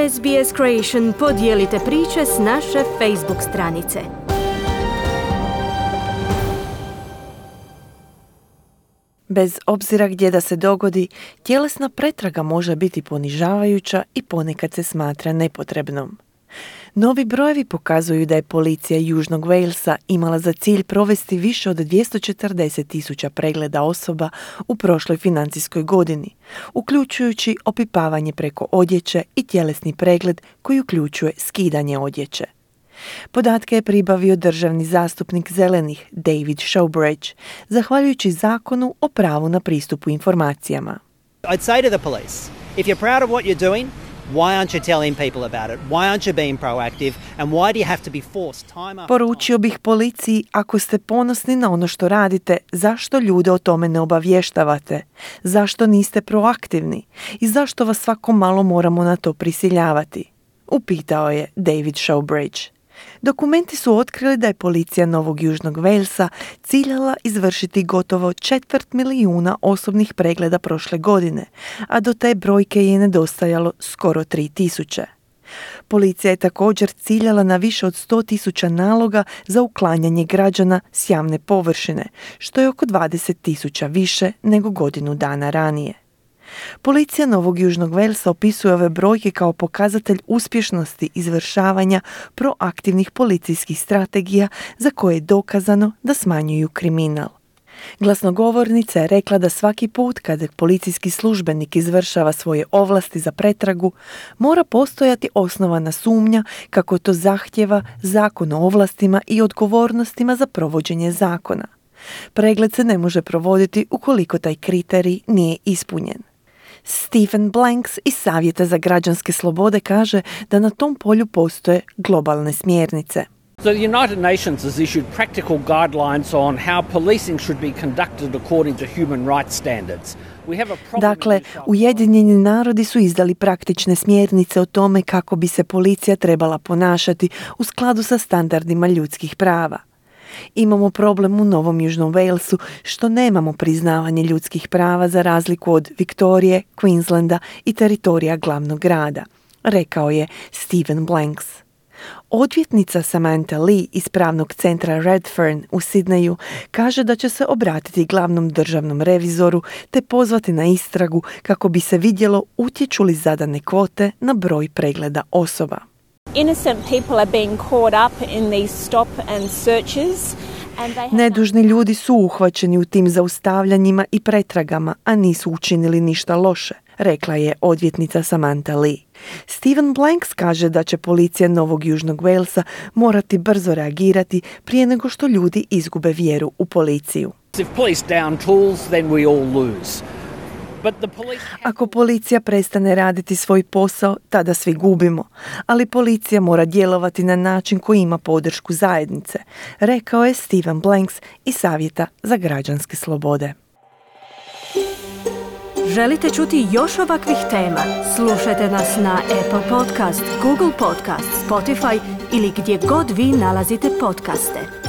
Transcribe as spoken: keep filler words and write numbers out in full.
S B S Creation podijelite priče s naše Facebook stranice. Bez obzira gdje da se dogodi, tjelesna pretraga može biti ponižavajuća i ponekad se smatra nepotrebnom. Novi brojevi pokazuju da je policija Južnog Walesa imala za cilj provesti više od dvjesto četrdeset tisuća pregleda osoba u prošloj financijskoj godini, uključujući opipavanje preko odjeće i tjelesni pregled koji uključuje skidanje odjeće. Podatke je pribavio državni zastupnik zelenih David Showbridge, zahvaljujući zakonu o pravu na pristupu informacijama. I'd say to the police, if you're proud of what you're doing, why aren't you telling people about it? Why aren't you being proactive? And why do you have to be forced time after time? Poručio bih policiji, ako ste ponosni na ono što radite, zašto ljude o tome ne obavještavate? Zašto niste proaktivni? I zašto vas svako malo moramo na to prisiljavati? Upitao je David Showbridge. Dokumenti su otkrili da je policija Novog Južnog Walesa ciljala izvršiti gotovo četvrt milijuna osobnih pregleda prošle godine, a do te brojke je nedostajalo skoro tri tisuće. Policija je također ciljala na više od sto tisuća naloga za uklanjanje građana s javne površine, što je oko dvadeset tisuća više nego godinu dana ranije. Policija Novog Južnog Walesa opisuje ove brojke kao pokazatelj uspješnosti izvršavanja proaktivnih policijskih strategija za koje je dokazano da smanjuju kriminal. Glasnogovornica je rekla da svaki put kada policijski službenik izvršava svoje ovlasti za pretragu, mora postojati osnovana sumnja kako to zahtjeva Zakon o ovlastima i odgovornostima za provođenje zakona. Pregled se ne može provoditi ukoliko taj kriterij nije ispunjen. Stephen Blanks iz Savjeta za građanske slobode kaže da na tom polju postoje globalne smjernice. The United Nations has issued practical guidelines on how policing should be conducted according to human rights standards. We have a problem. Dakle, Ujedinjeni narodi su izdali praktične smjernice o tome kako bi se policija trebala ponašati u skladu sa standardima ljudskih prava. Imamo problem u Novom Južnom Walesu što nemamo priznavanje ljudskih prava za razliku od Viktorije, Queenslanda i teritorija glavnog grada, rekao je Stephen Blanks. Odvjetnica Samantha Lee iz pravnog centra Redfern u Sidneju kaže da će se obratiti glavnom državnom revizoru te pozvati na istragu kako bi se vidjelo utječu li zadane kvote na broj pregleda osoba. Innocent people are being caught up in these stop and searches. Nedužni ljudi su uhvaćeni u tim zaustavljanjima i pretragama, a nisu učinili ništa loše, rekla je odvjetnica Samantha Lee. Stephen Blanks kaže da će policija Novog Južnog Walesa morati brzo reagirati prije nego što ljudi izgube vjeru u policiju. If police down tools, then we all lose. Ako policija prestane raditi svoj posao, tada svi gubimo, ali policija mora djelovati na način koji ima podršku zajednice, rekao je Stephen Blanks iz Savjeta za građanske slobode. Želite čuti još ovakvih tema? Slušajte nas na Apple Podcast, Google Podcast, Spotify ili gdje god vi nalazite podcaste.